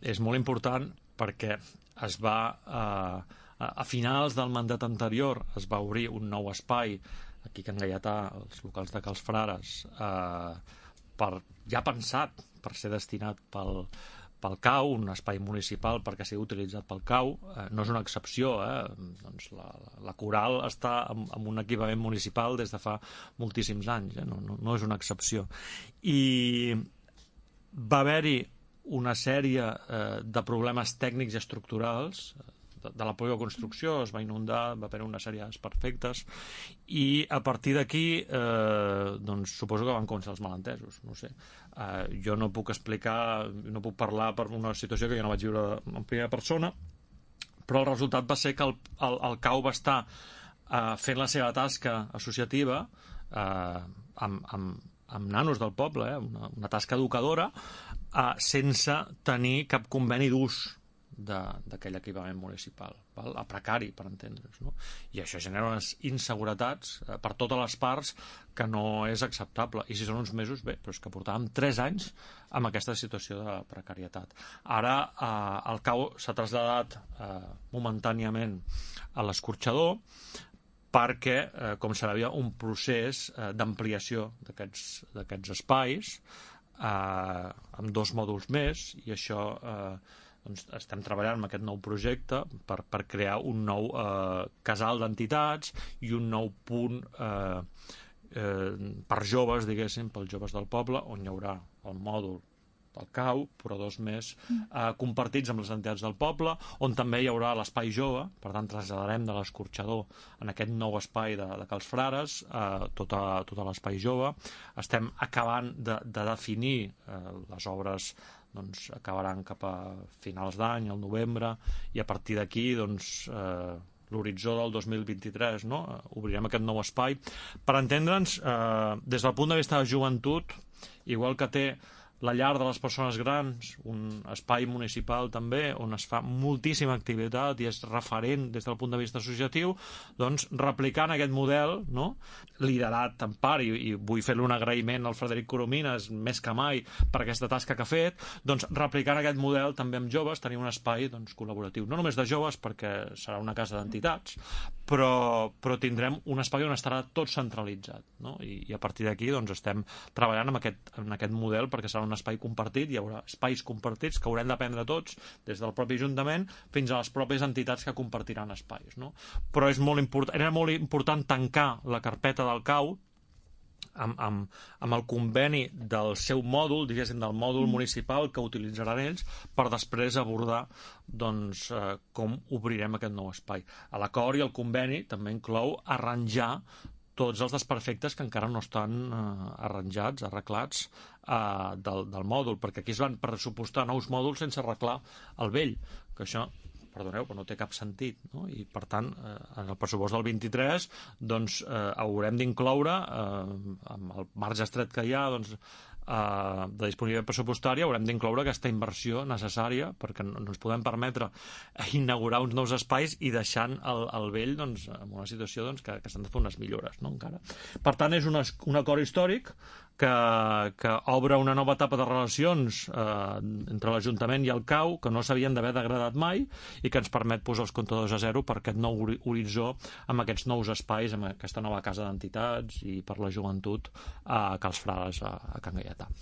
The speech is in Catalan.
és molt important perquè es va... A finals del mandat anterior es va obrir un nou espai aquí a Can Gaietà, els locals de Cals Frares, ja pensat per ser destinat pel CAU, un espai municipal perquè sigui utilitzat pel CAU. No és una excepció, doncs la Coral està en un equipament municipal des de fa moltíssims anys, no és una excepció. I va haver-hi una sèrie de problemes tècnics i estructurals de la pròpia construcció, es va inundar, va haver una sèrie de desperfectes, i a partir d'aquí doncs suposo que van començar els malentesos, no sé. Jo no puc explicar, no puc parlar per una situació que jo no vaig viure en primera persona, però el resultat va ser que el CAU va estar fent la seva tasca associativa amb nanos del poble, una tasca educadora, sense tenir cap conveni d'ús d'aquell equipament municipal, a precari, per entendre's, no? I això genera unes inseguretats per totes les parts que no és acceptable. I si són uns mesos, bé, però és que portàvem 3 anys amb aquesta situació de precarietat. Ara el CAU s'ha traslladat momentàniament a l'escorxador perquè, com sabia, un procés d'ampliació d'aquests espais amb 2 mòduls més, i això doncs estem treballant amb aquest nou projecte per crear un nou casal d'entitats i un nou punt per joves, diguéssim, pels joves del poble, on hi haurà el mòdul del CAU, però 2 més compartits amb les entitats del poble, on també hi haurà l'espai jove. Per tant, traslladarem de l'escorxador en aquest nou espai de Cals Frares tot l'espai jove. Estem acabant de definir les obres, doncs acabaran cap a finals d'any, al novembre, i a partir d'aquí doncs l'horitzó del 2023, no? Obrirem aquest nou espai. Per entendre'ns, des del punt de vista de joventut, igual que té la llar de les persones grans, un espai municipal també, on es fa moltíssima activitat i és referent des del punt de vista associatiu, doncs replicant aquest model, no? Liderat en part, i vull fer-li un agraïment al Frederic Coromines més que mai per aquesta tasca que ha fet, doncs replicant aquest model també amb joves, tenir un espai doncs col·laboratiu, no només de joves perquè serà una casa d'entitats, però tindrem un espai on estarà tot centralitzat, no? I a partir d'aquí doncs estem treballant en aquest model perquè serà un espai compartit, hi haurà espais compartits que haurem d'aprendre tots, des del propi Ajuntament fins a les pròpies entitats que compartiran espais, no? Però era molt important tancar la carpeta del CAU amb el conveni del seu mòdul, diguéssim, del mòdul municipal que utilitzaran ells, per després abordar doncs com obrirem aquest nou espai. L'acord i el conveni també inclou arranjar tots els desperfectes que encara no estan arreglats del mòdul, perquè aquí es van pressupostar nous mòduls sense arreglar el vell, que això, perdoneu, però no té cap sentit, no? I per tant, en el pressupost del 23 doncs haurem d'incloure amb el marge estret que hi ha doncs de disponibilitat pressupostària, haurem d'incloure aquesta inversió necessària perquè no ens podem permetre inaugurar uns nous espais i deixant el vell doncs, en una situació doncs, que s'han de fer unes millores, no? Encara. Per tant, és un acord històric que obre una nova etapa de relacions entre l'Ajuntament i el CAU que no s'havien d'haver degradat mai i que ens permet posar els comptadors a zero per aquest nou horitzó amb aquests nous espais, amb aquesta nova casa d'entitats i per la joventut a Cals Frares, a Can Gaietà.